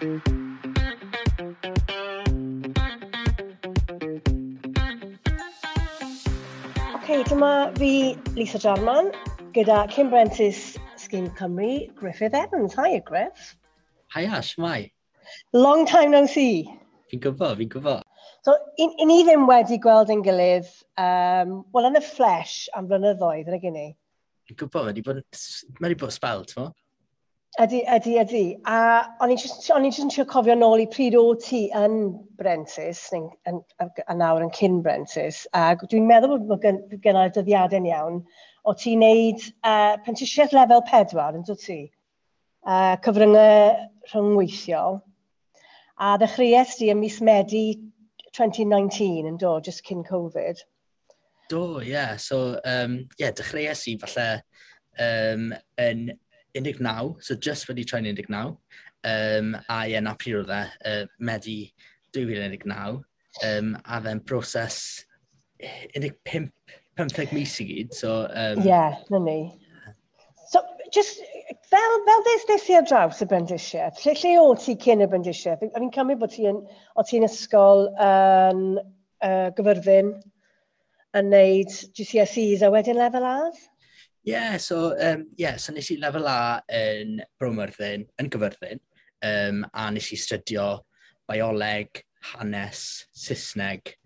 Okay, dyma fi, Lisa Jarman, gyda cyn brentis Sgîm Cymru, Griffith Evans. Hiya, Griff. Hiya, shwmae? Long time no see. Fi'n gwybod, fi'n gwybod. So, i ni ddim wedi gweld ein gilydd, wel, yn y flesh am blynyddoedd, yn y gynnu. Fi'n gwybod, mae wedi bod spel, ti'n? Ydy, ydy, ydy. A o'n i'n just, o'n i'n just yn trio cofio nôl i pryd o ti yn brentis, neu, yn, a nawr yn cyn brentis, a dwi'n meddwl bod gen, gennau'r dyddiadau'n iawn, o ti'n neud prentisiaeth lefel 4, yn dod ti? Cyfryngau rhyngweithiol. A ddechreuais di ym mis Medi 2019 yn do, just cyn Covid. Do, ie. Yeah. So, yeah, dechreuais i falle yn 19, so just wedi troi'n 19. A ie, yeah, na pryd oedd e, Medi 2019. A fe'n broses 15, 15 mis i gyd. So, yeah, na ni. So, just, fel des i ar draws y brentisiaeth, lle o ti cyn y brentisiaeth? O'n i'n cymryd bod ti yn, o ti'n ysgol yn Gyfyrddin yn neud GCSEs a wedyn lefel A's? Yeah, so, yeah, so nes i lefel A yn Bro Myrddin, yn Gyfyrddin, a nes i studio bioleg, hanes, Saesneg,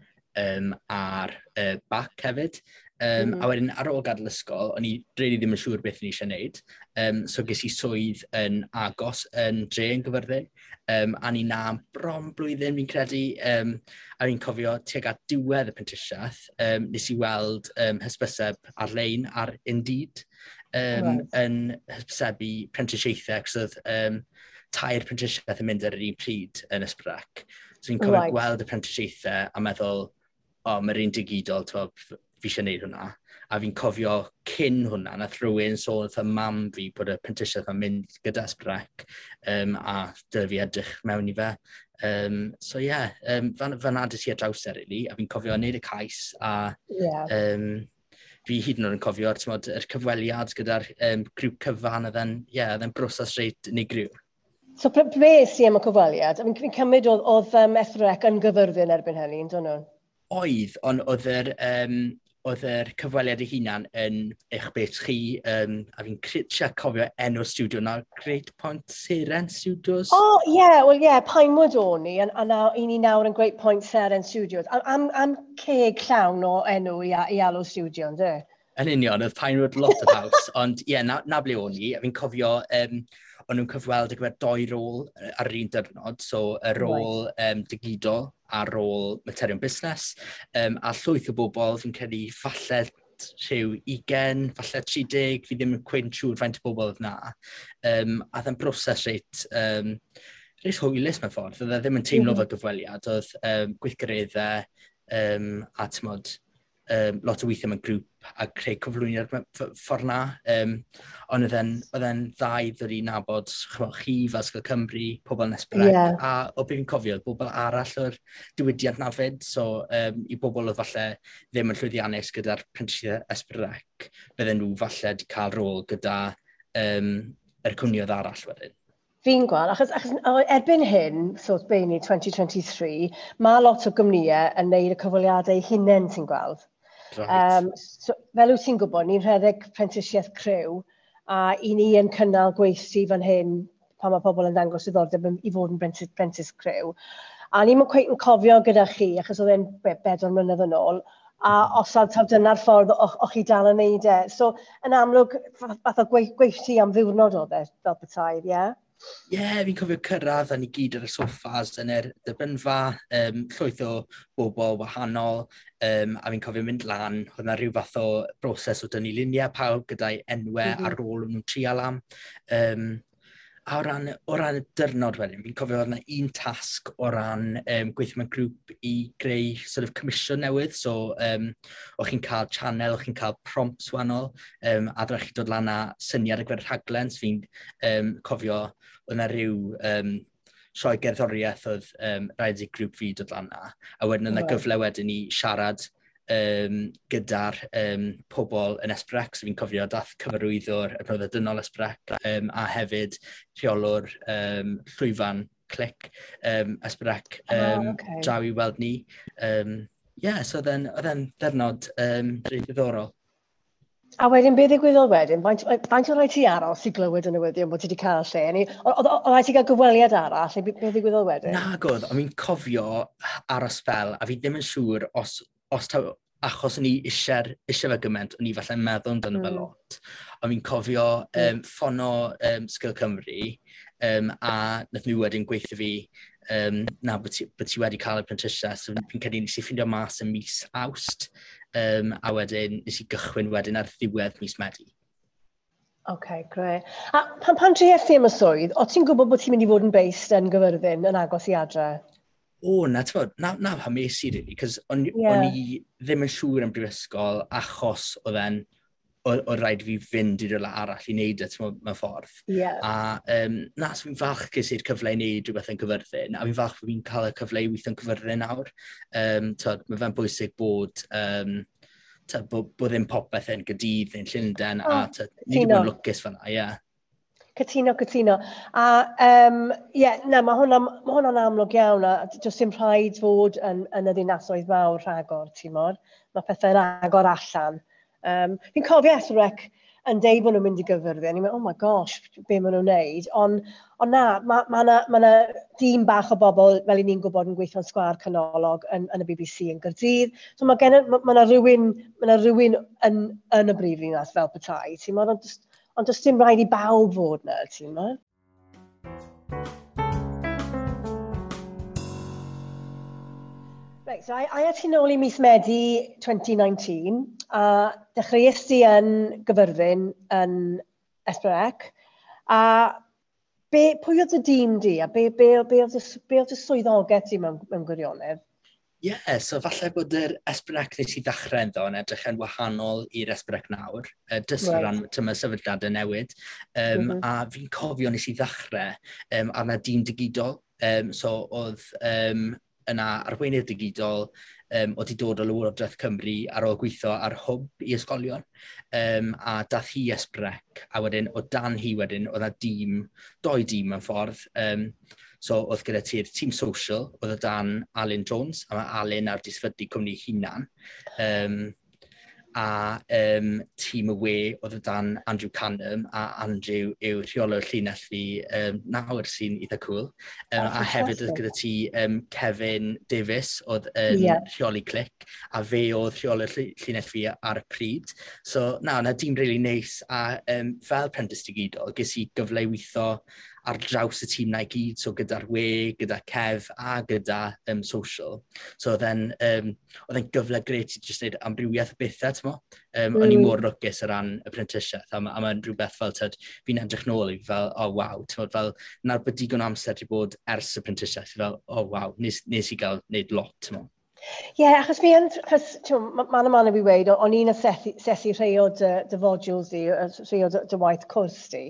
a'r bac hefyd. A wedyn ar ôl gadael ysgol, o'n i really ddim yn siŵr beth o'n i eisiau gwneud. So ges i swydd yn agos yn dre yn Gyfyrddin. A ni na am bron blwyddyn fi'n credu. A fi'n cofio tuag at diwedd y prentisiaeth, nes i weld hysbyseb ar-lein ar Indeed right. yn hysbysebu prentisiaethau, achos oedd 3 prentisiaeth yn mynd ar yr un pryd yn Ysbrec. So fi'n cofio gweld y prentisiaethau a meddwl, o, oh, mae'r un digidol, t'mo, fi eisiau gwneud hwnna. A fi'n cofio cyn hwnna, nath rhywun sôn wrth y mam fi bod y prentisiaeth yn mynd gyda Ysbrec, a dyle fi edrych mewn i fe. So ie, yeah, fan ades i ar draws e, really, a fi'n cofio wneud y cais, a fi hyd yn oed yn cofio, t'mod, yr cyfweliad gyda'r grŵp cyfan, oedd e'n, yeah, oedd e'n broses reit unigryw. So be es i am y cyfweliad? Fi'n cymryd oedd S4C yn Gyfyrddin erbyn hynny, yn dod nhw? Oedd, ond oedd yr cyfweliad ei hunan yn eich beth chi, a fi'n trio cofio enw'r studio nawr, Great Point Seren Studios? O, oh, ie, yeah, wel ie, yeah, Pinewood o'n i, a i ni nawr yn Great Point Seren Studios. Am ceg llawn o enw i alw studio, ynddo? Yn union, oedd Pinewood lot o house, ond ie, yeah, na ble o'n i, a fi'n cofio, o'n nhw'n cyfweld ar gyfer 2 rôl ar yr un diwrnod, so y rôl digidol a rôl materion busnes, a llwyth o bobl, fi'n credu falle rhyw 20, falle 30, fi ddim yn cweit siŵr faint o bobl oedd na. A oedd e'n broses reit hwylus mewn ffordd, oedd e ddim yn teimlo fel gyfweliad, oedd gweithgareddau a t'mod, lot o weithio mewn grŵp a creu cyflwyniad ffordd na. Ond oedd e'n dda i ddod i nabod chi fel Ysgol Cymru, pobl yn Ysbrec, a o beth fi'n cofio, oedd bobl arall o'r diwydiant na fyd, so i bobl oedd falle ddim yn llwyddiannus gyda'r prentisiaeth Ysbrec, bydden nhw falle wedi cael rôl gyda yr cwmnioedd arall wedyn. Fi'n gweld, achos erbyn hyn, so be ni 2023, mae lot o gwmnïau yn neud y cyfweliadau hunain, ti'n gweld. Right. So, fel wyt ti'n gwybod, ni'n rhedeg prentisiaeth criw, a i ni yn cynnal gweithdy fan hyn pan mae pobl yn dangos diddordeb i fod yn prentis criw. A ni'n cweit yn cofio gyda chi, achos oedd e'n 4 mlynedd yn ôl, a os taw dyna'r ffordd o'ch chi dal yn neud e. So, yn amlwg, fath o gweithdy am ddiwrnod oedd e, fel petai, ie? Yeah? Ie, yeah, fi'n cofio cyrraedd a ni gyd ar y soffas yn yr dderbynfa, llwyth o bobl wahanol, a fi'n cofio mynd lan, oedd yna rhyw fath o broses o dynnu luniau pawb gyda'i enwau ar ôl nhw'n trial am. A o ran y dyrnod wedyn, fi'n cofio oedd yna un tasg o ran gweithio mewn grŵp i greu sort of comisiwn newydd. So, o'ch chi'n cael channel, o'ch chi'n cael prompts wahanol, a ddaru chi dod lan â syniad ar gyfer rhaglen. So fi'n cofio oedd yna rhyw sioe gerddoriaeth oedd rhaid i grŵp fi dod lan â. A wedyn oedd yna gyfle wedyn i siarad gyda'r pobl yn S4C, so fi'n cofio dath cyfarwyddwr y Adnoddau Dynol S4C, a hefyd rheolwr llwyfan Clic, S4C, draw i weld ni. Yeah, so oedd e'n ddiwrnod rili diddorol. A wedyn, beth ddigwyddodd wedyn? Faint o rhaid ti aros i glywed y newyddion bod ti wedi cael lle? Oedd rhaid ti gael gyfweliad arall, neu beth ddigwyddodd wedyn? Nag oedd, ond fi'n cofio aros fel, a fi ddim yn siŵr os taw, achos o'n i eisiau fe gymaint, o'n i falle'n meddwl amdano fe lot. Ond fi'n cofio ffono Sgil Cymru, a nath nhw wedyn gweithio fi, na, bod ti wedi cael y prentisiaeth. So fi'n credu nes i ffindio mas yn mis Awst, a wedyn nes i gychwyn wedyn ar ddiwedd mis Medi. OK, great. A pan triest ti am y swydd, o ti'n gwybod bod ti'n mynd i fod yn based yn Gyfyrddin, yn agos i adre? O, na, ti'n na, na pam es i, really, cos o'n i ddim yn siŵr am brifysgol achos oedd e'n o rhaid fi fynd i rywle arall i wneud e, ti'n mewn ffordd. A na, so fi'n falch ges i'r cyfle i wneud rhywbeth yn Cyfyrddin, a fi'n falch bod fi'n cael y cyfle i weithio yn Cyfyrddin nawr. T'od, mae fe'n bwysig bod, t'od, bod ddim popeth yn Gaerdydd neu'n Llundain, a t'od, ni wedi bod yn lwcus fan'na, ie. Cytuno. A yeah, na, mae hwnna'n amlwg iawn, a does dim rhaid fod yn y ddinasoedd mawr rhagor, ti'n mod. Mae pethau'n agor allan. Fi'n cofio S4C yn deud bod nhw'n mynd i Gyfyrddin. Ni'n meddwl, oh my gosh, be maen nhw'n neud. Ond na, ma 'na dîm bach o bobl, fel i ni'n gwybod, yn gweithio'n sgwâr canolog yn y BBC yn Gaerdydd. So ma 'na rhywun yn y brifddinas fel petai, ti'n mod, ond does dim rhaid i bawb fod 'na, ti'n mod? Right, so a ti nôl i mis Medi 2019, a dechreuais ti yn Gyfyrddin yn S4C, a pwy oedd y dîm di, a be oedd y swyddogaeth ti mewn gwirionedd? Ie, yeah, so falle bod yr S4C nes i ddechrau ynddo yn edrych yn wahanol i'r S4C nawr, jyst o ran tyma sefydliadau newid. A fi'n cofio nes i ddechrau ar 'na dîm digidol. So oedd yna arweinydd digidol oedd wedi dod o Lywodraeth Cymru ar ôl gweithio ar hwb i ysgolion. A dath hi S4C, a wedyn o dan hi wedyn oedd 'na dîm, doi dîm mewn ffordd. So oedd gyda ti'r tîm social, oedd o dan Alun Jones, a mae Alun ar 'di sefydlu cwmni hunan. A tîm y we oedd o dan Andrew Canham, a Andrew yw rheolwr llinell fi nawr, sy'n eitha cool. A hefyd oedd gyda ti Kevin Davies, oedd yn rheoli Clic, a fe oedd rheolwr llinell fi ar y pryd. So na, na dîm really neis, a fel prentis digidol, ges i gyfle i weithio ar draws y tîm na i gyd, so gyda'r we, gyda Kev a gyda social. So oedd e'n gyfle grêt i jyst wneud amrywiaeth o bethau, ti'n mo? O'n i mor lwcus o ran y prentisiaeth, a mae'n rhywbeth fel, tyd, fi'n edrych nôl i fel, oh waw, ti'n mo, fel, na'r bod digon o amser wedi bod ers y prentisiaeth, fel, oh waw, nes i gael wneud lot, ti'n mo. Ie, yeah, achos fi yn, achos, man a man i fi weud, o'n i'n asesu rhai o dy modules di, rhai o dy waith cwrs di.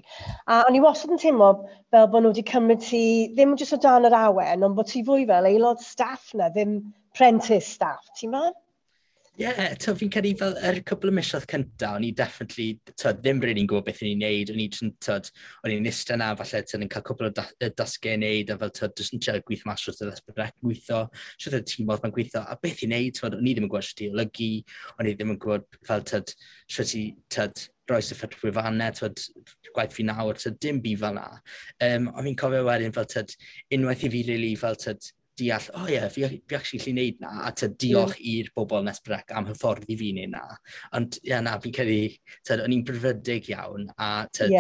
A o'n i wastad yn teimlo fel bod nhw wedi cymryd ti, ddim jyst o dan yr awen, ond bod ti fwy fel aelod staff na, ddim prentice staff, ti'n meddwl? Ie, yeah, fi'n credu fel yr cwpl o misoedd cynta, o'n i definitely, t'od, ddim really'n gwybod beth o'n i'n neud, o'n i jyst yn, t'od, o'n i'n ista na, falle, t'od, yn cael cwpl o dasgau i neud, a fel, t'od, jyst yn trio gweithio mas wrth yr S4C gweithio, sut oedd y tîm oedd mae'n gweithio, a beth i neud, t'od, o'n i ddim yn gwybod sut i olygu, o'n i ddim yn gwybod fel, t'od, sut i, t'od, roi syffyt wefannau, t'od, gwaith fi nawr, t'od, dim byd fel na. Ond fi'n cofio wedyn fel, t'od, unwaith i fi really fel, t'od, deall, oh ie, yeah, fi actually gallu neud na, a t'od, diolch i'r bobl yn S4C am hyfforddi fi neud na. Ond ie, yeah, na, fi'n credu, t'od, o'n i'n brwdfrydig iawn, a t'od,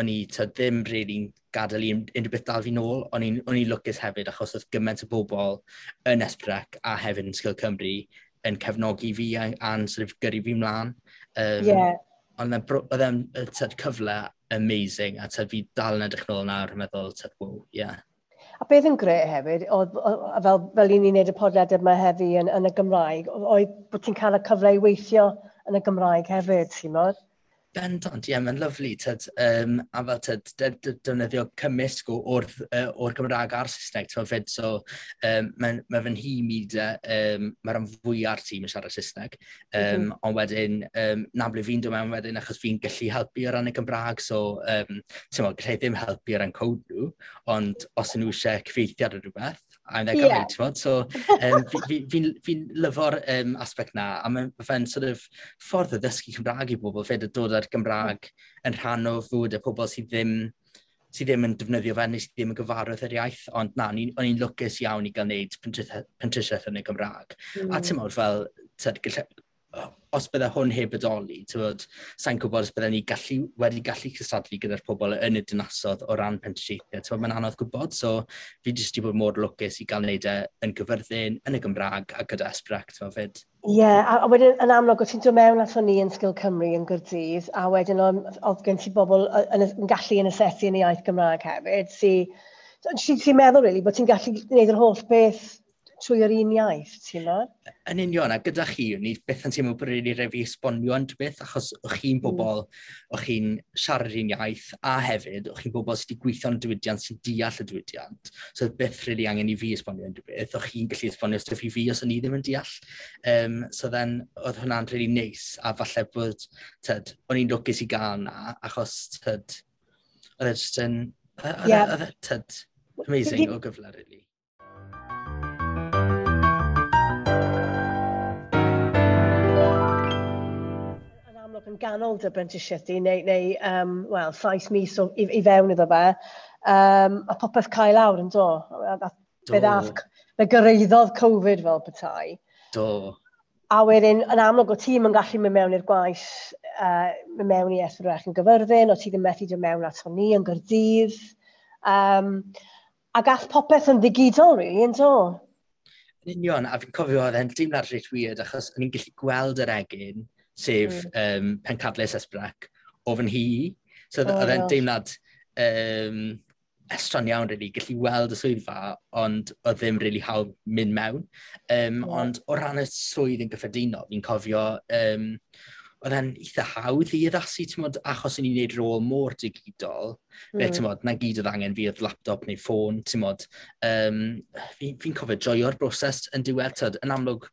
o'n i, t'od, ddim really'n gadael i unrhyw beth dal fi nôl. O'n i'n lwcus hefyd, achos oedd gymaint o bobl yn S4C a hefyd yn Sgil Cymru yn cefnogi fi a'n sort of gyrru fi mlaen. Ond oedd e'n t'od, cyfle amazing, a t'od, fi dal yn edrych nôl nawr yn meddwl, t'od, wow, yeah. A beth yn grêt hefyd, oedd, fel i ni'n neud y podlediad yma heddi yn y Gymraeg, oedd bod ti'n cael y cyfle i weithio yn y Gymraeg hefyd, ti'n modd? Bendant, ie, yeah, mae'n lyfli, tyd, a fel tyd, defnyddio cymysg o'r Gymraeg a'r Saesneg, ti'n fyd, so mae fy nhîm i, mae rhan fwya'r tîm yn siarad Saesneg, ond wedyn, na ble fi'n dod mewn wedyn, achos fi'n gallu helpu o ran y Gymraeg, so, ti'n meddwl, gallai ddim helpu o ran code nhw, ond os nhw eisiau cyfieithiad o rhywbeth, I'm their guy, ti'n meddwl, so fi'n lyfo'r aspect na, a mae'n fe'n sort of ffordd o ddysgu Cymraeg i bobl, fyd, o dod ar Gymraeg yn rhan o fywyd y pobl sydd ddim yn defnyddio fe neu sydd ddim yn gyfarwydd yr iaith, ond na, o'n i'n lwcus iawn i gael wneud prentisiaeth yn y Gymraeg. A ti'n meddwl fel, os bydde hwn heb bodoli, sa'n gwybod os bydde ni wedi gallu cystadlu gyda'r pobl yn y dinasodd o ran prentisiaethau. Ti'n mae'n anodd gwybod, so fi jyst wedi bod mor lwcus i gael wneud e yn Gyfyrddin, yn y Gymraeg a gyda S4C, ti'n fyd. Ie, yeah, a wedyn yn amlwg, o ti'n dod mewn ato ni yn Sgil Cymru yn Gaerdydd, a wedyn oedd gen ti bobl yn gallu yn asesu yn y iaith Gymraeg hefyd, sy'n meddwl, really, bod ti'n gallu gwneud yr holl beth trwy yr un iaith, ti'n meddwl? Yn union, a gyda chi, ni byth yn teimlo bod rili rhaid fi esbonio yn beth, achos o'ch chi'n bobl, o'ch chi'n siarad un iaith, a hefyd, o'ch chi'n bobl sydd wedi gweithio yn y diwydiant, sy'n deall y diwydiant. So byth rili angen i fi esbonio yn beth, o'ch chi'n gallu esbonio stwff i fi os o'n i ddim yn deall. So then, oedd hwnna'n rili neis, a falle bod, tyd, o'n i'n lwcus i gael na, achos, tyd, oedd e jyst yn, oedd e, tyd, amazing o gyfle, really. Yn ganol dy brentisiaeth di, neu wel, 7 mis i fewn iddo fe, a popeth cael lawr yn do. Fe gyrraeddodd Covid fel petai. Do. A wedyn, yn amlwg, o ti'n yn gallu mynd mewn i'r gwaith, mynd mewn i S4C yn Gyfyrddin, o ti ddim methu dod mewn ato ni yn Gaerdydd. A gath popeth yn ddigidol, really, yn do. Yn union, a fi'n cofio oedd e'n deimlad reit weird, achos o'n i'n gallu gweld yr egin, sef pencadlys S4C, o fy nhŷ. So oedd e'n deimlad estron iawn, really, gallu weld y swyddfa, ond oedd ddim really hawdd mynd mewn. Ond o ran y swydd yn gyffredinol, fi'n cofio, oedd e'n eitha hawdd i addasu, ti'n modd, achos o'n i'n gwneud rôl mor digidol, ti'n modd, na gyd oedd angen fi oedd laptop neu ffôn, ti'n modd. Fi'n cofio joio'r broses yn diwedd, tyd, yn amlwg,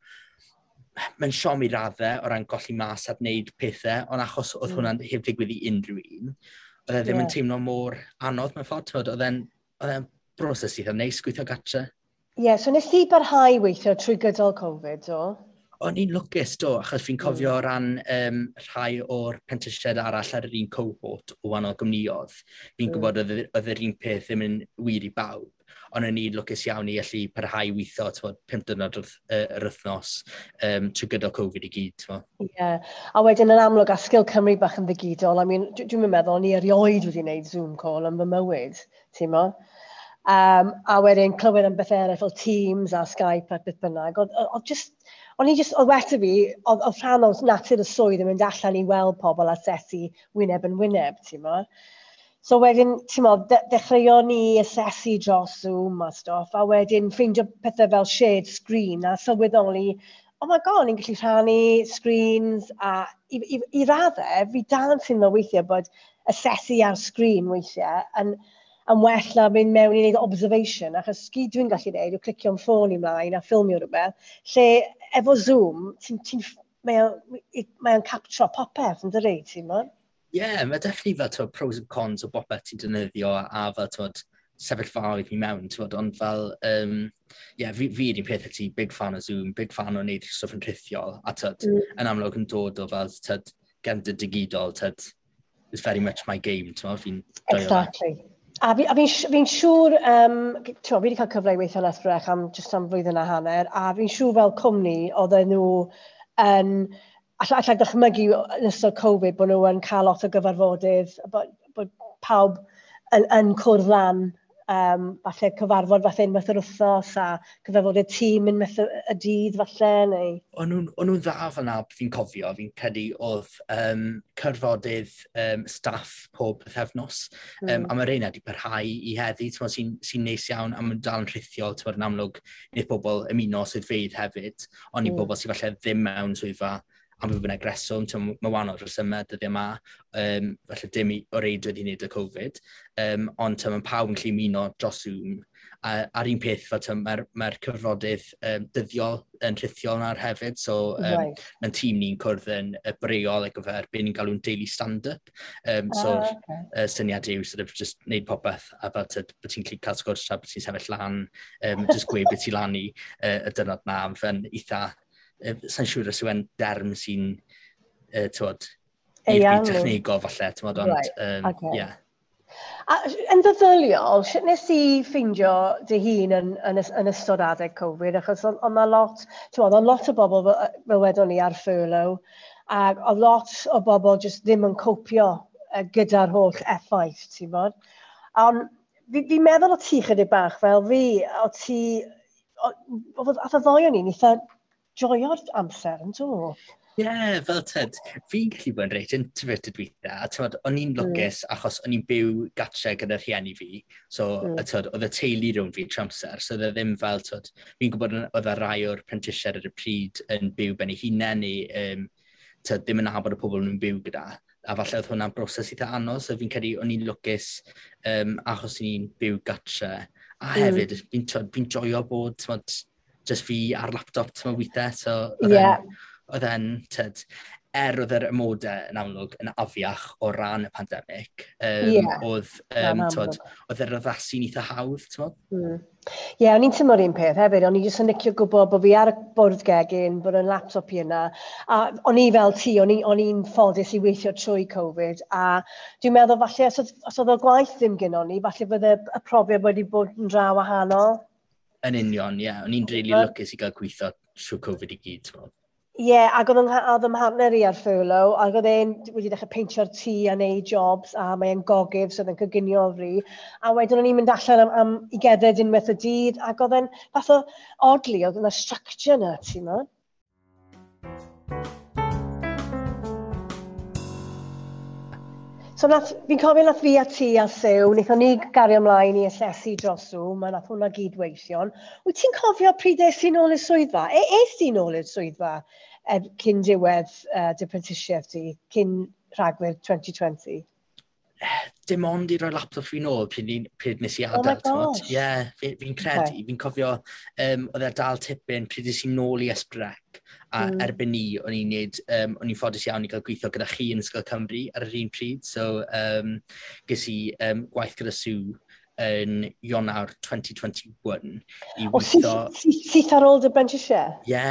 mae'n siom i raddau o ran golli mas ar wneud pethau, ond achos oedd hwnna'n heb ddigwydd i unrhyw un, oedd e ddim yn teimlo mor anodd mewn ffordd, oedd e'n broses eitha neis gweithio gatre. Ie, yeah, so nes ti barhau weithio trwy gydol Covid, do? O'n i'n lwcus, do, achos fi'n cofio o ran rhai o'r prentisiaid arall ar yr un cohort o wahanol gwmnïoedd. Fi'n gwybod oedd yr un peth ddim yn wir i bawb, ond o'n i'n lwcus iawn i allu parhau weithio, t'mod, 5 diwrnod yr wythnos trwy gydol Covid i gyd. Ie, yeah. A wedyn yn amlwg, a Sgil Cymru bach yn ddigidol, I mean, dwi'n meddwl, o'n i erioed wedi gwneud Zoom call yn fy mywyd, ti'n mo? A wedyn clywed am beth eraill fel Teams a Skype a beth bynnag, oedd just, o'n i just, oedd weta fi, oedd rhan o natur y swydd yn mynd allan i weld pobl asesu wyneb yn wyneb, ti'n mo? So wedyn, ti'n mo, dechreuon ni asesu dros Zoom a stwff, a wedyn ffeindio pethau fel shared screen a sylweddoli, oh my god, ni'n gallu rhannu screens, a i raddau, fi dal yn teimlo weithiau bod asesu ar screen weithiau yn well na mynd mewn i wneud observation, achos gyd dwi'n gallu wneud yw clicio'n ffôn i mlaen a ffilmio rhywbeth, lle efo Zoom, mae o'n captro popeth, yn dydi, ti'n mo? Ie, yeah, mae definitely fel t'wod, pros and cons o bopeth ti'n defnyddio a fel t'wod, sefyllfaoedd i mewn, t'wod, ond fel, yeah, fi yr un peth â ti, big fan o Zoom, big fan o wneud stwff yn rhithiol, a t'wod, yn amlwg yn dod o fel, t'wod, gefndir digidol, t'wod, it's very much my game, t'wod, fi'n joio fe. Exactly. A fi'n siŵr, fi wedi cael cyfle i weithio yn S4C am jyst am flwyddyn a hanner, a fi'n siŵr fel cwmni oedden nhw yn, allai dychmygu yn ystod Covid bod nhw yn cael lot o gyfarfodydd, bod pawb yn cwrdd lan, falle cyfarfod falle unwaith yr wythnos a cyfarfodydd tîm unwaith y dydd falle. Neu... O'n nhw'n dda fel na, fi'n cofio, fi'n credu oedd cyfarfodydd staff pob pythefnos, a mae'r rheina wedi parhau i heddi, sy'n neis iawn, a mae'n dal yn rhithiol, ti'n yn amlwg, wneud pobl ymuno swyddfeydd hefyd, ond i bobl sydd falle ddim mewn swyddfa Am beth bynnag reswm, mae wahanol resymau dyddiau yma, falle dim o reidrwydd i wneud y Covid, ond mae pawb yn gallu ymuno dros Zoom. A, a'r un peth, fel mae'r cyfarfodydd dyddiol yn rhithiol nawr hefyd, so right. Mae'n tîm ni'n cwrdd yn y breol ar gyfer be ni'n galw'n daily stand-up. So, okay. Syniad yw sort of just wneud popeth, a fel bod ti'n gallu cael sgwrs tra bod ti'n sefyll lan, just gweud beth ti'n lan i y dyrnod na, fe'n eitha, sa'n siŵr os yw e'n derm sy'n, tywod, i'r byd technegol falle, tywod, ond, right. Okay. Yeah. A yn ddyddiol, sut nes i ffeindio dy hun yn ystod adeg Covid? Achos oedd 'na lot, ti'n oedd lot o bobl fel wedon ni ar furlough, ac oedd lot o bobl jyst ddim yn copio gyda'r holl effaith, ti'n bod? Ond fi'n fi meddwl o ti chydig bach fel fi, o ti, ath y ddoi o'n i'n eitha joio'r amser, yn do? Ie, yeah, fel tyd, fi'n gallu bod yn reit introverted weithiau, a tyd, o'n i'n lwcus achos o'n i'n byw gatre gyda rhieni fi, so tyd, oedd y teulu rhwng fi trwy amser, so oedd e ddim fel, tyd, fi'n gwybod oedd y rai o'r prentisiaid ar y pryd yn byw ben eu hunain neu tyd, ddim yn nabod y pobl nhw'n byw gyda, a falle oedd hwnna'n broses eitha anodd, so fi'n credu o'n i'n lwcus achos o'n i'n byw gatre, a hefyd fi'n fi joio bod, tyd, just fi ar laptop, tyd, weithiau, so oedd oedd e'n, tyd, oedd yr amodau yn amlwg yn afiach o ran y pandemig, oedd, tyd, oedd yr addasu'n eitha hawdd, tyd? Ie, yeah, o'n i'n teimlo'r un peth hefyd. O'n i jyst yn licio gwybod bod fi ar y bwrdd gegin, bod yn laptop i yna. A o'n i fel ti, o'n i'n ffodus i weithio trwy Covid. A dwi'n meddwl falle, os oedd y gwaith ddim gyno ni, falle fydde y profiad wedi bod yn dra wahanol. Yn union, ie. Yeah. O'n i'n really lwcus i gael gweithio trwy Covid i gyd, ti'n. Ie, yeah, ac oedd 'y mhartner i ar furlough, ac oedd e'n wedi dechrau peintio'r tŷ a neud jobs, a mae'n gogydd, so oedd e'n coginio o fri. A wedyn o'n i'n mynd allan am i gerdded unwaith y dydd, ac oedd e'n fath o oddly, oedd yna structure yna, ti'n mo? So fi'n cofio nath fi a ti a Sue, wnaethon ni gario ymlaen i asesu dros Zoom, a nath hwnna gyd weithio'n. Wyt ti'n cofio pryd es ti nôl i'r swyddfa? Es ti nôl i'r swyddfa cyn diwedd dy prentisiaeth ti, cyn Rhagfyr 2020? Dim ond i roi laptop fi nôl pryd nes i adael. Oh my gosh. Ie, yeah, fi'n credu, fi'n cofio, oedd e dal tipyn pryd nes i nôl i S4C, a erbyn ni, o'n i'n neud, o'n i'n ffodus iawn i gael gweithio gyda chi yn Ysgol Cymru ar yr un pryd, so ges i gwaith gyda Sue yn Ionawr 2021 i weithio. Syth ar ôl dy brentisiaeth? Ie.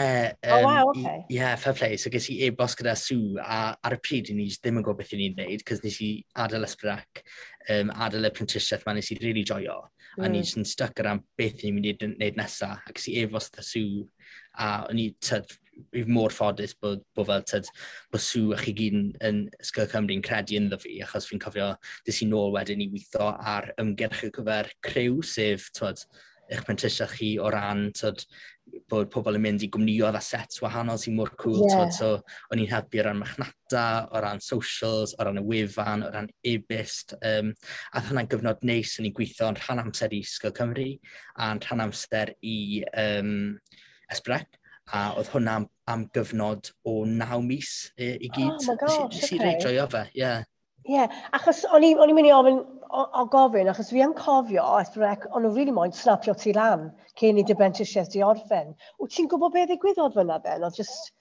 Oh, wow, okay. Ie, yeah, fair play. So ges i e-bost gyda Sue, a ar y pryd ni ddim yn gwybod beth i ni'n neud, cos nes i adael S4C, adael y prentisiaeth ma, nes i really joio. A ni jyst yn stuck ar am beth ni'n mynd i wneud nesaf. A ges i e-bost gyda Sue, a o'n i, tyd, fi mor ffodus bod fel, tyd, bod Sue a chi gyd yn Ysgol Cymru yn credu ynddo fi, achos fi'n cofio des i nôl wedyn i weithio ar ymgyrch ar gyfer Criw, sef, tyd, eich prentisiaeth chi o ran, tyd, bod pobl yn mynd i gwmnïoedd a sets wahanol sy'n mor cool, tyd, so o'n i'n helpu o ran marchnata, o ran socials, o ran y wefan, o ran e-byst, a oedd hwnna'n gyfnod neis, o'n i'n gweithio yn rhan amser i Ysgol Cymru a'n rhan amser i S4C, a oedd hwnna am gyfnod o 9 mis i gyd. Oh my gosh, Nes i reit joio fe, ie. Ie, yeah, achos o'n i'n mynd i ofyn, o gofyn, achos fi yn cofio, S4C, o'n nhw really moyn snapio ti lan cyn i dy brentisiaeth di orffen. Wyt ti'n gwybod beth ddigwyddodd fyna then? Oedd just.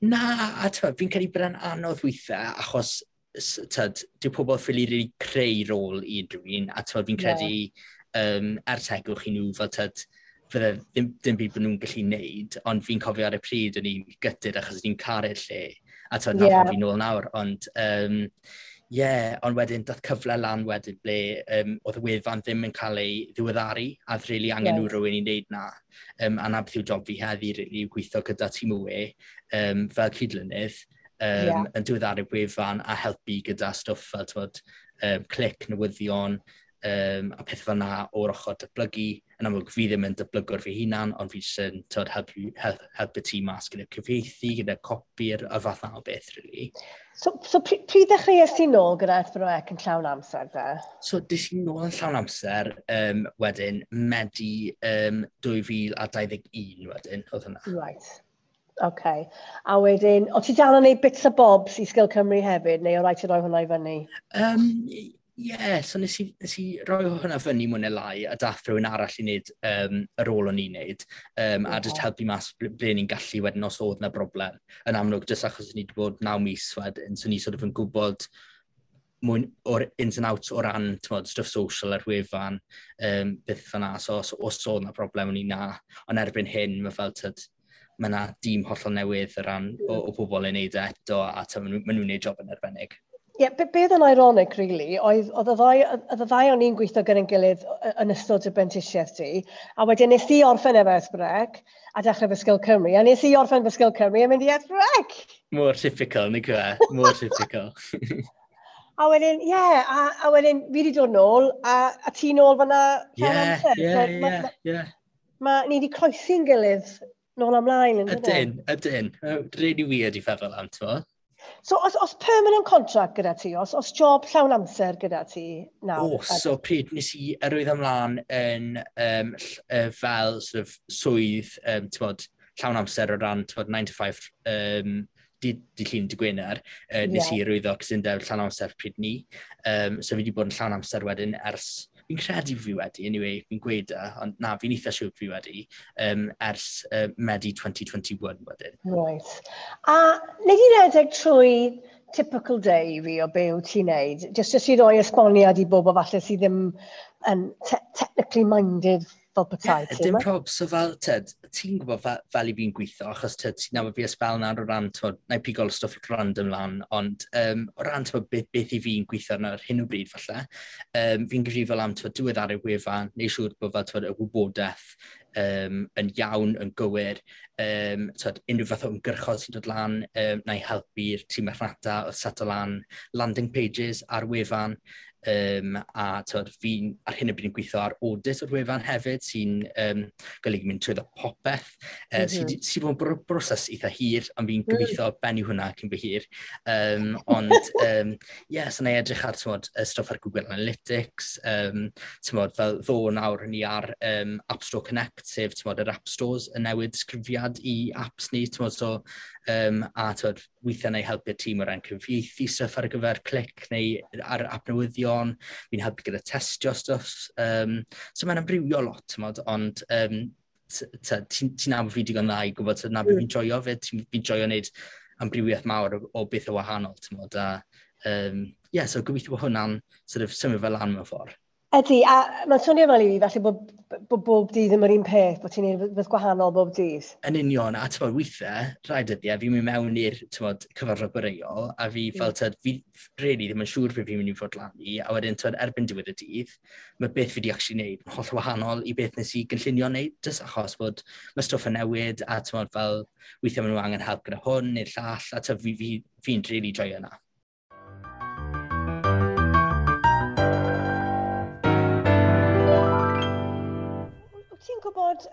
Na, a tyd, fi'n credu bod e'n anodd weithiau, achos tyd, dyw pobl ffili really creu rôl i unrhyw un, a tyd, fi'n credu er tegwch i nhw fel tyd, fydde ddim byd bod nhw'n gallu neud, ond fi'n cofio ar y pryd o'n i'n gutted achos o'n i'n caru'r lle, a tyd, na yeah. fi nôl nawr, ond yeah, ond wedyn dath cyfle lan wedyn ble oedd y wefan ddim yn cael ei ddiweddaru, a oedd really angen nhw rhywun i wneud na. A na beth yw job fi heddi, really, yw gweithio gyda tîm y we fel cydlynydd, yn diweddaru'r wefan a helpu gyda stwff fel t'mod, clic, newyddion, a pethau fel na o'r ochr datblygu. Yn amlwg, fi ddim yn datblygwr fi hunan, ond fi jyst yn t'mod, helpu tîm mas gyda cyfieithu, gyda copi'r y fath na o beth, really. So pryd ddechreuais ti nôl gyda S4C yn llawn amser, de? So, des i nôl yn llawn amser, wedyn, Medi 2021 wedyn, oedd hwnna. Right. OK. A wedyn, o ti dal yn neud bits a bobs i Sgil Cymru hefyd, neu o rhaid ti roi hwnna i fyny? Ie, so nes i roi hwnna fyny mwy neu lai a dath rhywun arall i wneud yr ôl o'n i'n wneud a just helpu mas ble ni'n gallu wedyn os oedd 'na broblem. Yn amlwg, jyst achos ni wedi bod 9 mis wedyn, so ni sort of yn gwybod mwy o'r ins and outs o ran, t'mod, stuff social ar wefan, beth fyna, so os oedd 'na broblem o'n i na, ond erbyn hyn mae fel tyd, mae yna dîm hollol newydd o ran o bobl yn neud e eto, a ma nhw'n neud job yn arbennig. Ie, yeah, beth yn ironic, really, oedd y ddau o'n i'n gweithio gyda'n gilydd yn ystod y brentisiaeth ti, a wedyn nes i orffen efo S4C a dechrau fy Sgil Cymru, a nes i orffen fy Sgil Cymru a mynd i S4C. Mor typical, nag yw e? Mor typical. A wedyn, ie, yeah, a wedyn fi wedi dod nôl, a ti nôl fyna llawn amser. So, ni wedi croesi'n gilydd nôl ymlaen, yn dydyn? Ydyn, ydyn. Really weird i feddwl am, ti'n So, os permanent contract gyda ti, os job llawn amser gyda ti nawr? O, so pryd nes i arwyddo ymlaen yn fel sort of swydd, t'mod, llawn amser o ran, t'mod, 9 to 5, dydd Llun dydd Gwener, nes i arwyddo cytundeb llawn amser pryd ni. So fi wedi bod yn llawn amser wedyn ers, fi'n credu fi wedi, anyway, fi'n gweud e, ond na, fi'n eitha siŵr fi wedi, ers Medi 2021 wedyn. Right. A wnei di redeg trwy typical day fi o be wyt ti'n neud? Just i roi esboniad i bobl falle sydd ddim yn technically minded fel petai. Yeah, dim prob, so fel, tyd, ti'n gwybod fel i fi'n gweithio, achos tyd, ti'n nabod fi ysbel nawr o ran, t'mod, na i pigol stwff random lan, ond o ran, t'mod, beth i fi'n gweithio arno ar hyn o bryd falle, fi'n gyfrifol am, t'mod, diweddaru'r wefan, neu siŵr bod fel, t'mod, y wybodaeth yn iawn, yn gywir, t'mod, unrhyw fath o ymgyrchoedd sy'n dod lan, na i helpu'r tîm marchnata o set o lan landing pages ar wefan, a t'mod, fi'n ar hyn o bryd yn gweithio ar audit o'r wefan hefyd, sy'n golygu mynd trwyddo popeth, sy'n sy bod yn broses eitha hir, ond fi'n gobeithio bennu hwnna cyn bo hir. Ond, ie, so na i edrych ar, t'mod, y stwff ar Google Analytics, t'mod, fel ddo nawr ni ar App Store Connect, sef, t'mod, yr App Stores yn newid disgrifiad i apps ni, t'mod, so, a t'mod, weithiau na i helpu'r tîm o ran cyfieithu stuff ar gyfer Clic neu ar app newyddion, fi'n helpu gyda testio stwff. So mae'n amrywio lot, t'mod, ond ti'n nabod fi digon dda i gwybod na beth fi'n joio fyd, fi'n joio wneud amrywiaeth mawr o beth o wahanol, t'mod, a yeah, so gobeithio bod hwnna'n sort of symud fel lan mewn ffordd. Ydy, a mae'n swnio fel i fi, falle bod bob dydd ddim yr un peth, bod ti'n neud rhywbeth gwahanol bob dydd. Yn union, a t'mod, weithiau, rhai dyddiau, fi'n mynd mewn i'r, t'mod, cyfarfod boreol, a fi fel, t'mod, fi really ddim yn siŵr beth fi'n mynd i fod lan i, a wedyn, t'mod, erbyn diwedd y dydd, mae beth fi wedi actually wneud yn holl wahanol i beth nes i gynllunio wneud, jyst achos bod mae stwff yn newid, a t'mod, fel, weithiau maen nhw angen help gyda hwn neu'r llall, a t'mod, fi'n really joio yna. Wyt ti'n gwybod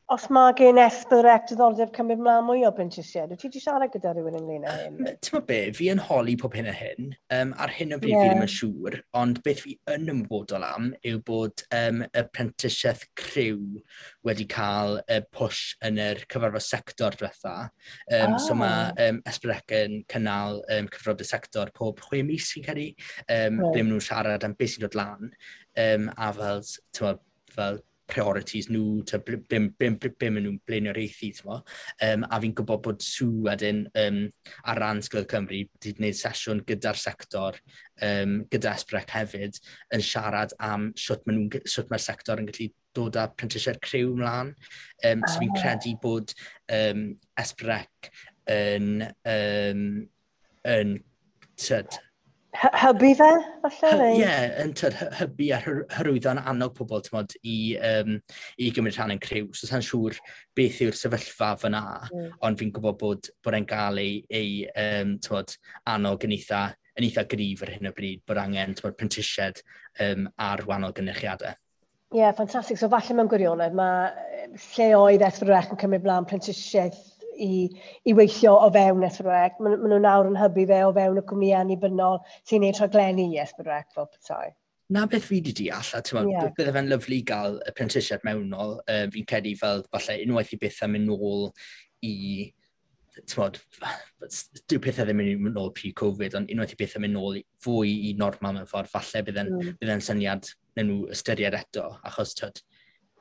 os mae gen S4C diddordeb cymryd mlaen mwy o brentisiaid? Wyt ti wedi siarad gyda rhywun ynglyn â hyn? Ti'n gwybod be, fi yn holi pob hyn a hyn. Ar hyn o bryd fi ddim yn siŵr, ond beth fi yn ymwybodol am yw bod y prentisiaeth criw wedi cael y push yn yr cyfarfod sector diwetha. So mae S4C yn cynnal cyfarfod y sector pob 6 mis fi'n credu, ble maen nhw'n siarad am beth sy'n dod lan, a fel, t'mod, fel priorities nhw, be maen nhw'n blaenoriaethu, t'mo. A fi'n gwybod bod Sue wedyn ar ran Sgil Cymru wedi gwneud sesiwn gyda'r sector, gyda S4C hefyd, yn siarad am sut mae'r sector yn gallu dod â prentisiaid criw ymlaen. So fi'n credu bod S4C yn tyd, Hybu fe, falle? Ie, yeah, yn tyd, hybu a hyrwyddo yn annog pobl, t'mod, i gymryd rhan yn criw. So sa'n siŵr beth yw'r sefyllfa fyna, ond fi'n gwybod bod e'n gael ei t'mod, annog yn eitha gryf ar hyn o bryd, bod angen, t'mod, prentisiaid ar wahanol gynyrchiadau. Ie, yeah, ffantastig. So falle mewn gwirionedd, mae lle oedd S4C yn cymryd mlaen prentisiaeth i weithio o fewn S4C. Maen nhw nawr yn hybu fe o fewn y cwmnïau annibynnol sy'n gwneud rhaglenni i S4C fel petai. Na beth fi wedi deall, a ti'n yeah. Bydde fe'n lyfli gael y prentisiaeth mewnol. Fi'n credu fel falle unwaith i bethau mynd nôl i, ti'n dyw pethau ddim yn mynd nôl pre-Covid, ond unwaith i bethau mynd nôl fwy i normal mewn ffordd, falle bydde'n bydde syniad nawn nhw ystyried eto, achos tyd,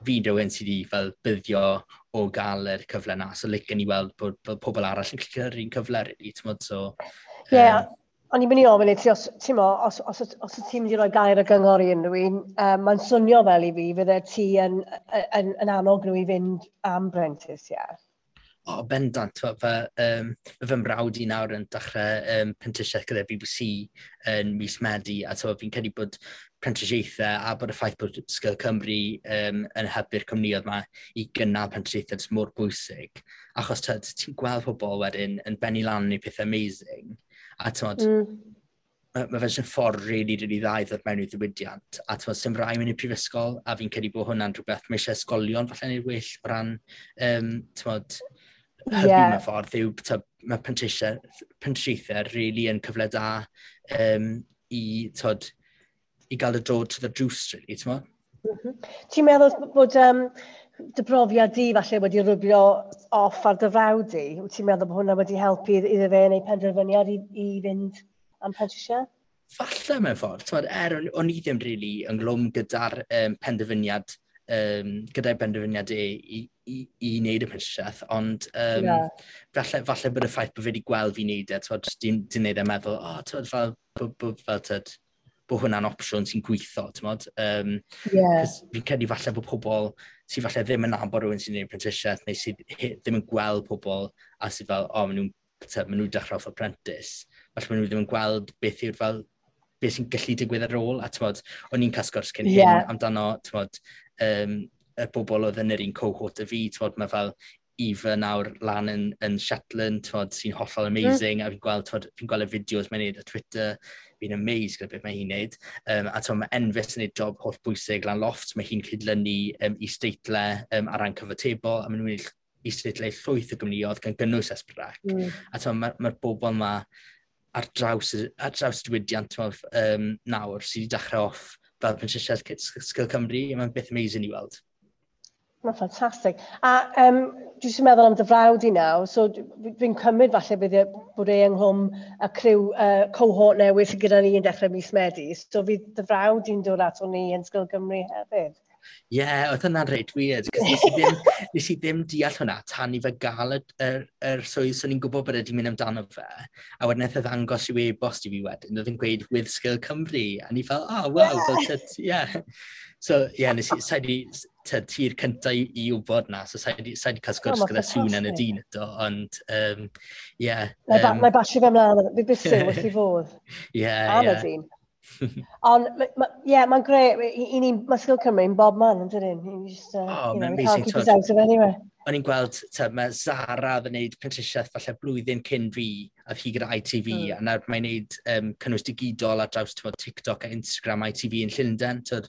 fi'n rhywun sydd wedi fel buddio o gael yr cyfle na, so licen i weld bod pobl arall yn cael yr un cyfle, really, ti'n so... Ie, yeah. O'n i'n mynd i ofyn i ti, os, ti'n mo, os ti'n mynd i roi gair o gyngor i unrhyw un, mae'n swnio fel i fi, fydde ti yn annog nhw i fynd am brentis, ie? Yeah. O, bendant. Fy mrawd i nawr yn dechrau prentisiaeth gyda BBC yn mis Medi, a fi'n credu bod prentisiaethau a bod y ffaith bod Sgil Cymru yn hybu'r cwmnïoedd yma i gynnal prentisiaethau jyst mor bwysig. Achos ti'n gweld pobl wedyn yn bennu lan i pethau amazing, a ti'n mae fe jyst yn ffordd really, really dda i ddod mewn i ddiwydiant. A ti'n sy'n rhaid mynd i'r prifysgol, a fi'n credu bod hwnna'n rhywbeth mae eisiau ysgolion falle neud well o ran, ti'n hybu mewn ffordd, yw mae prentisiaethau really yn cyfle da i, tyd, i gael y dod to the drws, really, ti'n mo? Ti'n meddwl bod dy brofiad di falle wedi rwbio off ar dy frawd di? Wyt ti'n meddwl bod hwnna wedi helpu iddo fe neu penderfyniad i fynd am prentisiaeth? Falle mewn ffordd. T'mod, er o'n i ddim really ynghlwm gyda'r penderfyniad, gyda'i benderfyniad e i wneud y prentisiaeth, ond falle bod y ffaith bod fe wedi gweld fi'n neud e, t'mod, di wneud e meddwl, o, oh, t'mod, fel, fel, tyd, bod hwnna'n opsiwn sy'n gweithio, t'mod. Fi'n credu falle bod pobl sydd falle ddim yn nabod rhywun sy'n gwneud prentisiaeth, neu sydd ddim yn gweld pobl a sydd fel, o, maen nhw'n dechrau off apprentice. Falle maen nhw ddim yn gweld beth yw'r fel, beth sy'n gallu digwydd ar ôl, a t'mod, o'n i'n cael sgwrs cyn hyn amdano, t'mod, y bobl oedd yn yr un cohort y fi, t'mod, mae fel Eva nawr lan yn Shetland, t'mod, sy'n hollol amazing, a fi'n gweld, t'mod, fi'n gweld y fideos mae'n neud ar Twitter, fi'n amazed gyda beth mae hi'n neud. A t'mod, mae Enfys yn neud job holl bwysig lan Lofft, mae hi'n cydlynu is-deitlau ar ran cyfatebol, a maen nhw'n neud is-deitlau llwyth o gwmnïoedd gan gynnwys S4C. A t'mod, mae'r bobl yma ar draws diwydiant, t'mod, nawr sydd wedi dechrau off fel prentisiaeth Sgil Cymru, mae'n beth amazing i weld. Mae'n ffantastig. A dwi jyst yn meddwl am dy frawd i nawr, so fi'n cymryd falle bydd bod e ynghlwm y criw cohort newydd sydd gyda ni yn dechrau mis Medi. So fydd dy frawd i'n dod ato ni yn Sgil Cymru hefyd. Ie, yeah, oedd hwnna'n reit weird, cos nes i ddim deall hwnna tan i fe gael yr swydd, so ni'n gwybod bod e wedi mynd amdano fe, a wedyn nath e ddangos i'w e-bost i fi wedyn, oedd yn gweud with Sgil Cymru, a ni fel, oh, wow, fel, tyd, yeah. So, ie, yeah, nes i, sa'i di, tyd, ti'r cynta i wybod na, so sa'i di cael sgwrs gyda Sŵn yn y dyn eto, ond, ie. Na i basio fe ymlaen, fi byth sy'n wrth i fodd. Ie, Am y dyn. Ond, ie, mae'n grêt. I ni, mae Sgil Cymru yn bob man, yn dydyn? You just, Oh, you know, mae'n we can't amazing, keep us t'wod. out of anywhere. O'n i'n gweld, mae Zara oedd yn neud prentisiaeth falle blwyddyn cyn fi, a hi gyda ITV, a nawr mae'n neud cynnwys digidol ar draws, t'mod, TikTok a Instagram ITV yn Llundain. T'wod,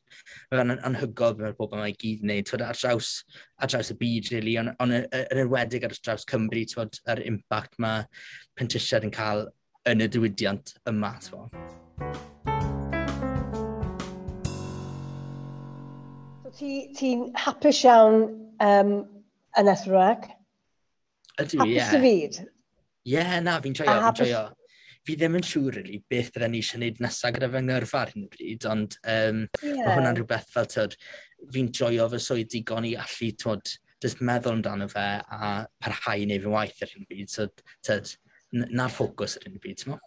mae fe'n anhygoel beth mae'r bobl yma i gyd yn neud, t'wod, ar draws y byd, really, ond yn enwedig ar draws Cymru, t'wod, yr impact mae prentisiaid yn cael yn y diwydiant yma, t'mod. So ti'n hapus iawn yn S4C? Ydw, Hapus ie. dy fyd? Ie, na, fi'n joio, A fi'n hapus joio. Fi ddim yn siŵr, really, beth bydden ni eisiau gwneud nesaf gyda fy ngyrfa ar hyn o bryd, ond mae hwnna'n rhywbeth fel, t'wod, fi'n joio fy swydd digon i allu, t'wod, jyst meddwl amdano fe a parhau i wneud fy waith ar hyn o bryd. So, t'wod, na'r ffocws ar hyn o bryd, t'mo'?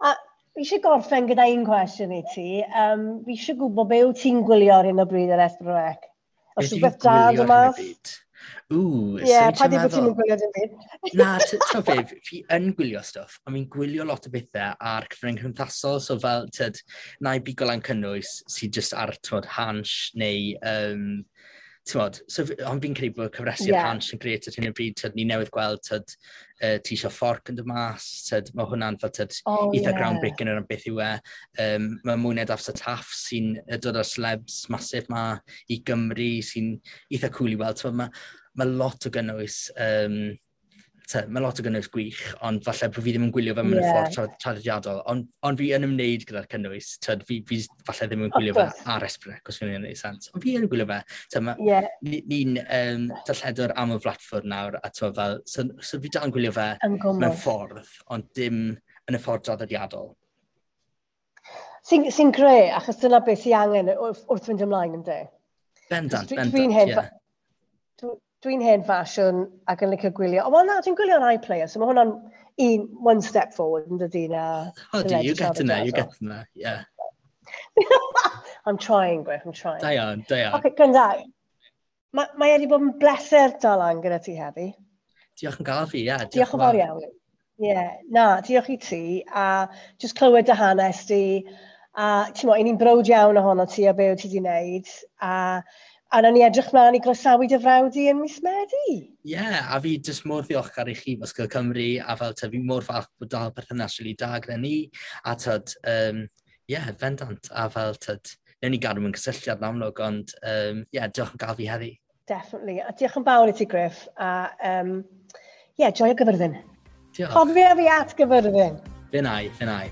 A fi eisiau gorffen gyda un cwestiwn i ti. Fi eisiau gwybod be wyt ti'n gwylio ar hyn o bryd ar S4C? Os Beth rhywbeth dwi'n da gwylio yn ar hyn o mas? bryd? Ww, Ie, swn i'n pa di bod ti'n meddwl. gwylio dim byd? Na, t'mo' be, fi yn gwylio stwff, ond fi'n gwylio lot o bethau ar cyfryngau cymdeithasol, so fel, tyd, na i bigo lan cynnwys sydd jyst ar, t'mod, Hansh neu, t'mod, so ond fi'n credu bod cyfresi'r Hansh yn grêt ar hyn o bryd, tyd, ni newydd gweld, tyd, Ti Isio Fforc yn dod mas, tyd, mae hwnna'n fel, tyd, eitha groundbreaking o ran beth yw e. Mae Mwy Na Daffs a Taff sy'n dod â'r celebs massive ma i Gymru sy'n eitha cool i weld. T'mod, mae lot o gynnwys, Te, mae lot o gynnwys gwych, ond falle bod fi ddim yn gwylio fe mewn yeah. ffordd traddodiadol, ond fi yn ymwneud gyda'r cynnwys, tyd, fi falle ddim yn gwylio fe ar S4C, os fi'n gwneud sens, ond fi yn gwylio fe. Te, ma, ni'n darlledwr am y blatffordd nawr, a tyd, fel, so fi dal yn gwylio fe mewn ffordd, ond dim yn y ffordd draddodiadol. Sy'n sy greu, achos dyna beth sy'n angen wrth fynd ymlaen, ynddi? Bendant, bendant, ie. Dwi'n hen ffasiwn ac yn licio gwylio. O, wel na, dwi'n gwylio ar iPlayer, so mae hwnna'n one step forward, yn dydy, na. Oh, do, you get in there, you get in there, yeah. I'm trying, Griff, I'm trying. Da iawn, da iawn. Okay, gwranda. Mae wedi bod yn bleser dal lan gyda ti heddi. Diolch yn gael fi, ie. Yeah, diolch yn fawr iawn. Ie, yeah, na, diolch i ti, a just clywed dy hanes di, a ti'n mo, ni'n browd iawn ohono ti a be wyt ti wedi wneud, a nawn ni edrych mlaen i groesawu dy frawd di yn mis Medi. Ie, yeah, a fi jyst mor ddiolchgar i chi Ysgol Cymru, a fel te, fi mor falch bod dal perthynas rili da gyda ni, a tyd, ie, yeah, bendant, a fel tyd, newn ni gadw mewn cysylltiad yn amlwg, ond ie, yeah, diolch yn gael fi heddi. Definitely, a diolch yn fawr i ti, Griff, a ie, yeah, joio Gyfyrddin. Diolch. Cofio fi at Gyfyrddin. Fe nai, fe nai.